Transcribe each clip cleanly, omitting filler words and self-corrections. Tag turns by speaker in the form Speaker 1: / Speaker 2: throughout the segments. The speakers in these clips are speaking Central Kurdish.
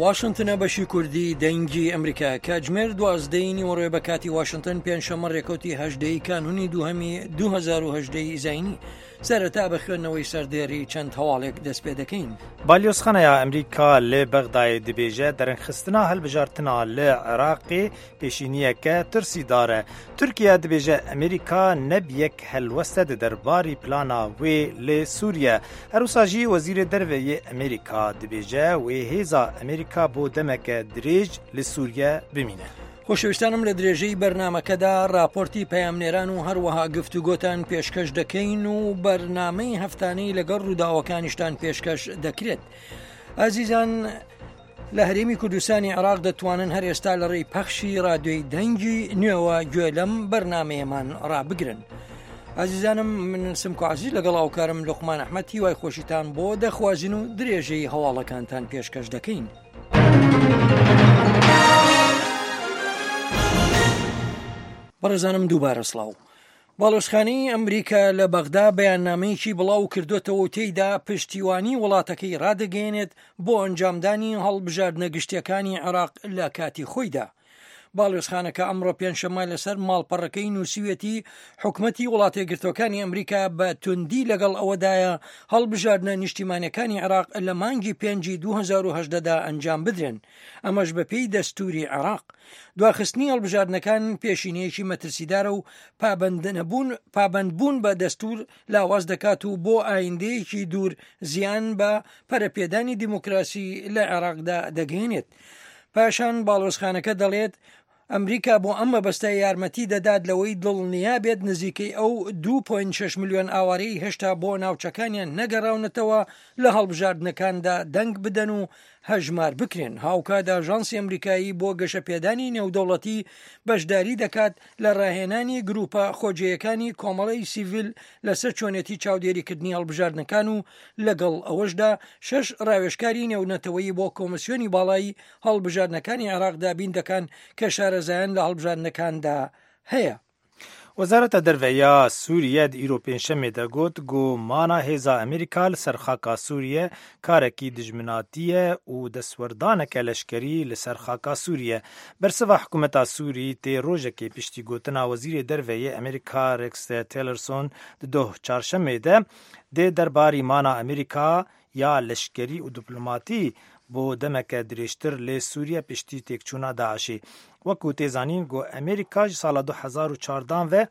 Speaker 1: واشنتنە بەشی کوردی دەنگی ئەمریکا کاتژمێر دوازدەی نیوەڕۆێ بە کاتی واشنتن پێنجشەممە ڕێکەوتی هەژدەی کانونی دووهەمی 2010 زینی سەرەتا بە خوێندنەوەی سەردێری چەند هەواڵێک دەست پێ دەکەین.
Speaker 2: بالیۆزخانەیا ئەمریکا li Bexdayê dibêje derengxistina hilbijartina li Iraqê pêşîniyeke tirsîdar e. Tirkiye dibêje Amerîka ne bi yek helweste di derbarî plana wê li Sûriye. Her wisa jî Wezîrê Derve yê Amerîka dibêje wê hêza Amerîka bo demeke dirêj li Sûriye bimîne.
Speaker 1: خۆشەویستانم لە درێژەی بەرنامەکەدا راپۆرتی پەیامنێران و هەروەها گفتوگۆتان پێشکەش دەکەین و بەرنامەی هەفتانەی لەگەڵ ڕووداوەکانیشتان پێشکەش دەکرێت. ئازیزان لە هەرێمی کوردستانی عێراق دەتوانن هەر ئێستا لە ڕێی پەخشی رادیۆی دەنگی نوێوە گوێ لەم بەرنمەیەمان ڕابگرن. ئازیزانم من سمکۆ عزیز لەگەڵ هاوکارم لوقمان ئەحمەد هیوای خۆشیتان بۆ دەخوازین و درێژەی هەواڵەکانتان پێشکەش دەکەین. بەڕێزانم دووبارە سڵاو. باڵۆزخانەی ئەمریکا لە بەغدا بەیاننامەیەکی بڵاو کردوێتەوە و تێیدا پشتیوانی وڵاتەکەی ڕادەگەیەنێت بۆ ئەنجامدانی هەڵبژاردنە گشتیەکانی عێراق لە کاتی خۆیدا. باڵیۆزخانەکە ئەمڕۆ پێنجشەممە لەسەر ماڵپەڕەکەی نووسیویەتی، حکومەتی وڵاتەیەکگرتووەکانی ئەمریکا بە توندی لەگەڵ ئەوەدایە هەڵبژاردنە نیشتیمانیەکانی عێراق لە مانگی پێنجی 2018 دا ئەنجام بدرێن، ئەمەش بەپێی دەستوری عێراق. دواخستنی هەڵبژاردنەکان پێشینەیەکی مەترسیدارە و پابەندنەبوون پابەندبوون بە دەستور لاواز دەکات و بۆ ئایندەیەکی دوور زیان بە پەرەپێدانی دیموکراسی لە عێراقدا دەگەیەنێت. پاشان باڵۆزخانەکە دەڵێت، ئەمریکا بۆ ئەم مەبەستە یارمەتی دەدات لەوەی دڵنیا بێت نزیکەی ئەو 2.6 ملیۆن ئاوارەی هێشتا بۆ ناوچەکانیان نەگەڕاونەتەوە لە هەڵبژاردنەکاندا دەنگ بدەن و هەژمار بکرێن. هاوکات ئاژانسی ئەمریکایی بۆ گەشەپێدانی نێودەوڵەتی بەشداری دەکات لە ڕاهێنانی گروپە خۆجێیەکانی کۆمەڵەی سیڤیل لەسەر چۆنێتی چاودێریکردنی هەڵبژاردنەکان و لەگەڵ ئەوەشدا شەش ڕاوێژکاری نێونەتەوەیی بۆ کۆمسیۆنی باڵای هەڵبژاردنەکانی عێراق دابین دەکەن کە شارەزایان لە هەڵبژاردنەکاندا هەیە.
Speaker 2: Wezareta Derve ya Sûriye di îro Pêncşemê de got ku mana hêza Amerîka li ser xaka Sûriye karekî dijminatî ye û destwerdaneke leşkerî li ser xaka Sûriye. Bersiva hikûmeta Sûrî tê rojekê piştî gotina Wezîrê Derve yê Amerîka Rex Tillerson di doh Çarşemê de dê derbarî mana Amerîka ya leşkerî û diplomatî bo demeke dirêjtir li Sûriye piştî têkçûna DAIŞ'ê. Wekû tê zanîn ku Amerîka ji sala 2014 ve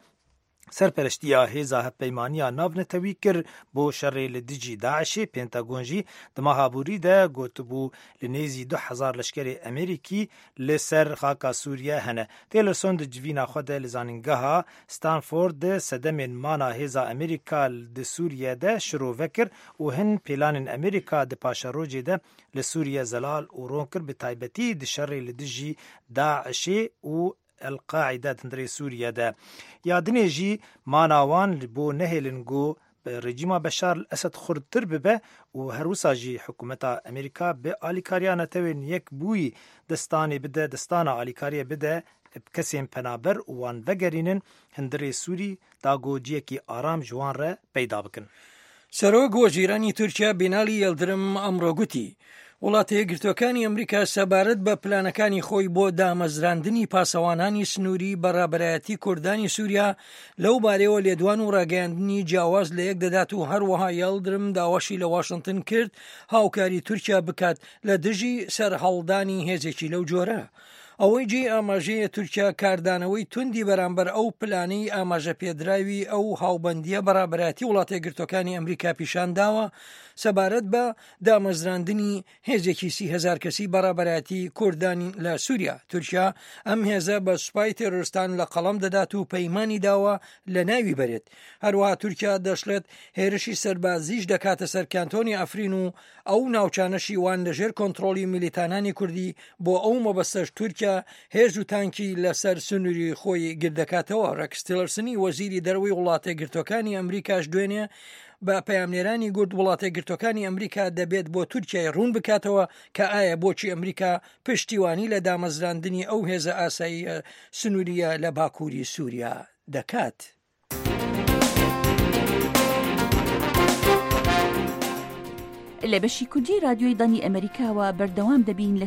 Speaker 2: serpereştiya hêza hevpeymaniya navnetewî kir bo şerê li dijî DAIŞ'ê, Pentagon jî di meha borî de gotibû li nêzî 2000 leşkerê Amerîkî li ser xaka Sûriye hene. Tillerson di civîna xwe de li zanîngeha Stanford di sedemên mana hêza Amerîka di Sûriye de şirove kir û hin pêlanên Amerîka di paşerojê de li Sûriye zelal û ron kir bi taybetî di şerê li dijî DAIŞ'ê û El Qaîde di hundirê Sûriye de. Ya dinê jî mana wan li bo nehêlin ku rejîma Beşar El Esed xurttir bibe û her wisa jî hikûmeta Amerîka bi alîkariya netewên yekbûyî destanê bide destana alîkariyê bide kesên penaber û wan vegerînin hundirê Sûrî da ku ciyekî aram ji wan re peyda bikin.
Speaker 1: سەرۆک وەزیرانی تورکیا بینالی یەلدرم ئەمڕۆ گوتی، وڵاتە یەکگرتووەکانی ئەمریکا سەبارەت بە پلانەکانی خۆی بۆ دامەزراندنی پاسەوانانی سنووری بە ڕابەرایەتی کوردانی سووریا لەو بارەیەوە لێدوان و ڕاگەیاندنی جیاواز لە یەک دەدات و هەروەها یەلدرم داواشی لە واشنتن کرد هاوکاری تورکیا بکات لە دژی سەرهەڵدانی هێزێکی لەو جۆرە. ئەوەی جێی ئاماژەیە تورکیا کاردانەوەی توندی بەرامبەر ئەو پلانەی ئاماژە پێدراوی ئەو هاوبەندییە بە ڕابەرایەتی وڵاتەیەکگرتووەکانی ئەمریکا پیشان داوە سەبارەت بە دامەزراندنی هێزێکی 30هزار کەسی بە ڕابەرایەتی کوردان لە سووریا. تورکیا ئەم هێزە بە سوپای تێرۆرستان لە قەڵەم دەدات و پەیمانی داوە لە ناوی بەرێت. هەروەها تورکیا دەشڵێت هێرشی سەربازیش دەکاتە سەر کانتۆنی عەفرین و ئەو ناوچانەشی وان لەژێر کۆنتڕۆڵی میلیتانانی کوردی بۆ ئەو مەبەستەش تورکیا هێز و تانکی لەسەر سنووری خۆی گردەکاتەوە ڕێکس تیلەرسنی وەزیری دەرەوەی وڵاتەیەکگرتووەکانی ئەمریکاش دوێنێ بە پەیامنێرانی گوت وڵاتەیەکگرتووەکانی ئەمریکا دەبێت بۆ تورکیای ڕوون بکاتەوە کە ئایا بۆچی ئەمریکا پشتیوانی لە دامەزراندنی ئەو هێزە ئاساییە سنووریە لە باکووری سووریا دەکات.
Speaker 3: لە بەشی کوردی رادیۆی دەنگی ئەمەریکاوە بەردەوام دەبین لە.